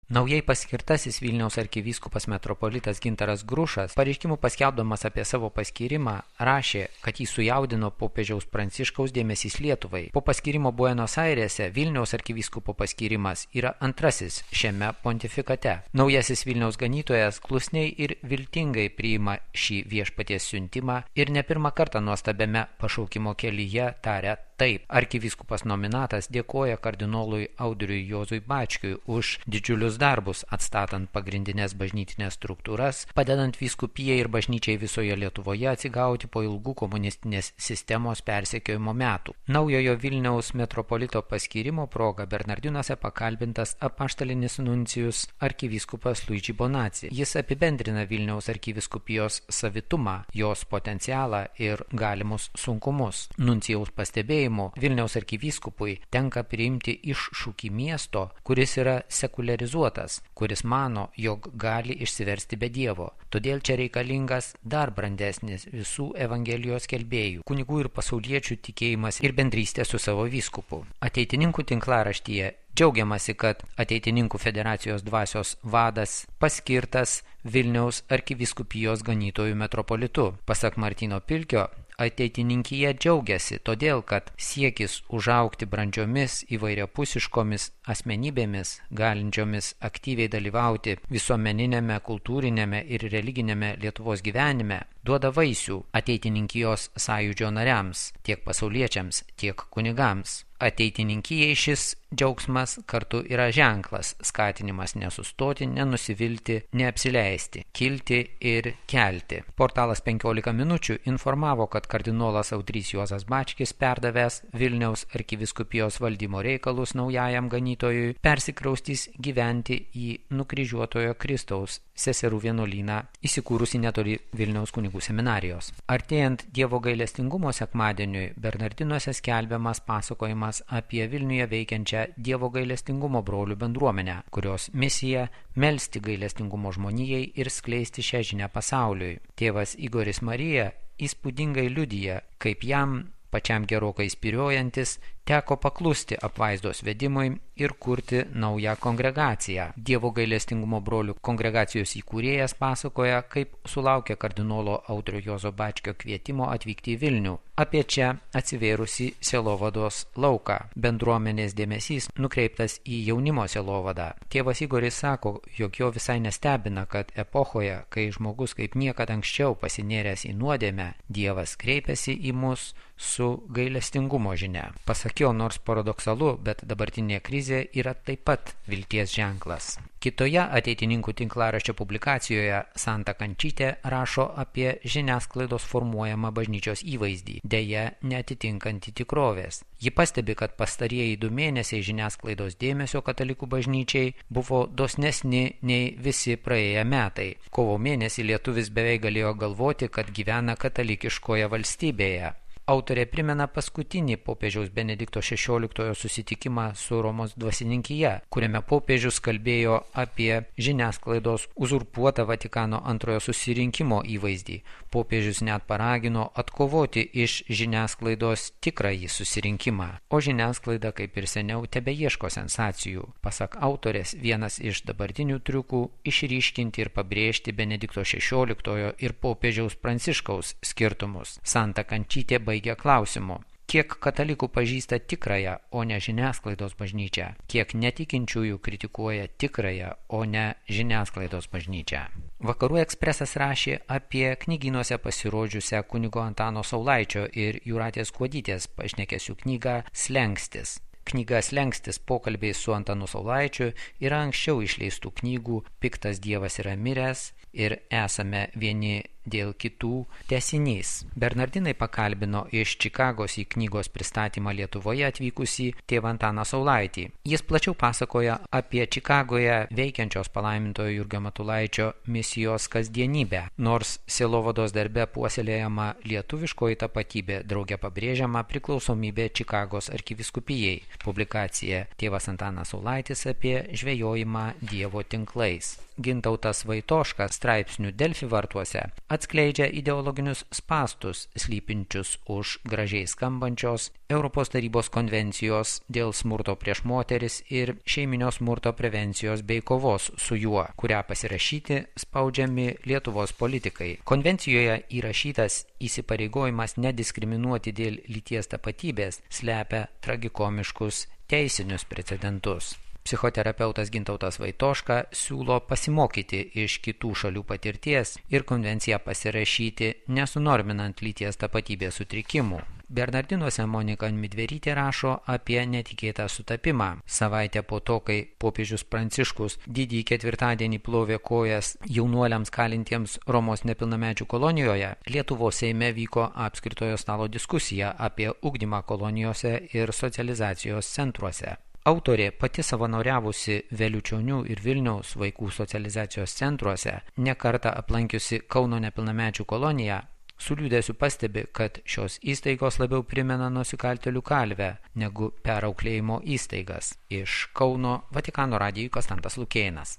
Naujai paskirtasis Vilniaus arkivyskupas metropolitas Gintaras Grušas, pareiškimu paskelbdamas apie savo paskyrimą, rašė, kad jį sujaudino popiežiaus Pranciškaus dėmesys Lietuvai. Po paskyrimo Buenos Airėse Vilniaus arkivyskupo paskyrimas yra antrasis šiame pontifikate. Naujasis Vilniaus ganytojas klusniai ir viltingai priima šį viešpaties siuntimą ir ne pirmą kartą nuostabiame pašaukimo kelyje taria taip. Arkivyskupas nominatas dėkoja kardinolui Audriui Juozui Bačkiui už didžiulius darbus atstatant pagrindinės bažnytinės struktūras, padedant vyskupijai ir bažnyčiai visoje Lietuvoje atsigauti po ilgų komunistinės sistemos persekiojimo metų. Naujojo Vilniaus metropolito paskyrimo proga Bernardinuose pakalbintas apaštalinis nuncijus arkivyskupas Luigi Bonazzi. Jis apibendrina Vilniaus arkivyskupijos savitumą, jos potencialą ir galimus sunkumus. Nuncijaus pastebėjimu Vilniaus arkivyskupui tenka priimti iššūkį miesto, kuris yra sekularizuotas, kuris mano, jog gali išsiversti be Dievo. Todėl čia reikalingas dar brandesnis visų evangelijos skelbėjų, kunigų ir pasauliečių tikėjimas ir bendrystė su savo vyskupu. Ateitininkų tinklaraštyje džiaugiamasi, kad Ateitininkų federacijos dvasios vadas paskirtas Vilniaus arkivyskupijos ganytojų metropolitu. Pasak Martyno Pilkio, ateitininkija džiaugiasi, todėl kad siekis užaugti brandžiomis įvairiapusiškomis asmenybėmis, galinčiomis aktyviai dalyvauti visuomeninėme, kultūrinėme ir religinėme Lietuvos gyvenime, duoda vaisių ateitininkijos sąjūdžio nariams, tiek pasauliečiams, tiek kunigams. Ateitininkijai šis džiaugsmas kartu yra ženklas, skatinimas nesustoti, nenusivilti, neapsileisti, kilti ir kelti. Portalas 15 minučių informavo, kad kardinolas Audrys Juozas Bačkis, perdavęs Vilniaus arkivyskupijos valdymo reikalus naujajam ganytojui, persikraustys gyventi į nukryžiuotojo Kristaus seserų vienuolyną, įsikūrusi netoli Vilniaus kunigų seminarijos. Artėjant Dievo gailestingumo sekmadieniui, Bernardinuose skelbiamas pasakojimas apie Vilniuje veikiančią Dievo gailestingumo brolių bendruomenę, kurios misija melsti gailestingumo žmonijai ir skleisti šią žinią pasauliui. Tėvas Igoris Marija įspūdingai liudija, kaip jam pačiam gerokai spyriojantis teko paklusti apvaizdos vedimui ir kurti naują kongregaciją. Dievo gailestingumo brolių kongregacijos įkūrėjas pasakoja, kaip sulaukė kardinolo Audrio Juozo Bačkio kvietimo atvykti į Vilnių. Apie čia atsivėrusi sielovados lauką. Bendruomenės dėmesys nukreiptas į jaunimo sielovadą. Tėvas Igoris sako, jog jo visai nestebina, kad epochoje, kai žmogus kaip niekad anksčiau pasinėręs į nuodėmę, Dievas kreipiasi į mus su gailestingumo žinia. Pasak jo, nors paradoksalu, bet dabartinė krizė yra taip pat vilties ženklas. Kitoje ateitininkų tinklaraščio publikacijoje Santa Kančytė rašo apie žiniasklaidos formuojamą bažnyčios įvaizdį, deja neatitinkantį tikrovės. Ji pastebi, kad pastarieji 2 mėnesiai žiniasklaidos dėmesio katalikų bažnyčiai buvo dosnesni nei visi praėję metai. Kovo mėnesį lietuvis beveik galėjo galvoti, kad gyvena katalikiškoje valstybėje. Autorė primena paskutinį popiežiaus Benedikto XVI susitikimą su Romos dvasininkija, kuriame popiežius kalbėjo apie žiniasklaidos uzurpuotą Vatikano antrojo susirinkimo įvaizdį. Popiežius net paragino atkovoti iš žiniasklaidos tikrąjį susirinkimą, o žiniasklaida, kaip ir seniau, tebeieško sensacijų. Pasak autorės, vienas iš dabartinių triukų išryškinti ir pabrėžti Benedikto XVI ir popiežiaus Pranciškaus skirtumus. Santa Kančytė baigia klausimu. Kiek katalikų pažįsta tikrąją, o ne žiniasklaidos bažnyčią? Kiek netikinčiųjų kritikuoja tikrąją, o ne žiniasklaidos bažnyčią? Vakarų ekspresas rašė apie knygynuose pasirodžiusią kunigo Antano Saulaičio ir Jūratės Kuodytės pašnekesių knygą Slengstis. Knyga Slengstis pokalbiai su Antanu Saulaičiu yra anksčiau išleistų knygų Piktas Dievas yra miręs ir Esame vieni dėl kitų tęsinys. Bernardinai pakalbino iš Čikagos į knygos pristatymą Lietuvoje atvykusį tėvą Antaną Saulaitį. Jis plačiau pasakoja apie Čikagoje veikiančios palaimintojo Jurgio Matulaičio misijos kasdienybę. Nors sielovados darbe puoselėjama lietuviškoji tapatybė, drauge pabrėžiama priklausomybė Čikagos arkivyskupijai. Publikacija Tėvas Antanas Saulaitis apie žvejojimą Dievo tinklais. Gintautas Vaitoškas straipsnių Delfi vartuose atskleidžia ideologinius spastus slypinčius už gražiai skambančios Europos tarybos konvencijos dėl smurto prieš moteris ir šeiminio smurto prevencijos bei kovos su juo, kurią pasirašyti spaudžiami Lietuvos politikai. Konvencijoje įrašytas įsipareigojimas nediskriminuoti dėl lyties tapatybės slepia tragikomiškus teisinius precedentus. Psichoterapeutas Gintautas Vaitoška siūlo pasimokyti iš kitų šalių patirties ir konvenciją pasirašyti nesunorminant lyties tapatybės sutrikimų. Bernardinuose Monika Midverytė rašo apie netikėtą sutapimą. Savaitę po to, kai popiežius Pranciškus didįjį ketvirtadienį plovė kojas jaunuoliams kalintiems Romos nepilnamečių kolonijoje, Lietuvos Seime vyko apskritojo stalo diskusija apie ugdymą kolonijose ir socializacijos centruose. Autorė, pati savanoriavusi Veliučionių ir Vilniaus vaikų socializacijos centruose, nekartą aplankiusi Kauno nepilnamečių koloniją, su liūdesiu pastebi, kad šios įstaigos labiau primena nusikaltėlių kalvę negu perauklėjimo įstaigas. Iš Kauno Vatikano radijui Konstantas Lukėnas.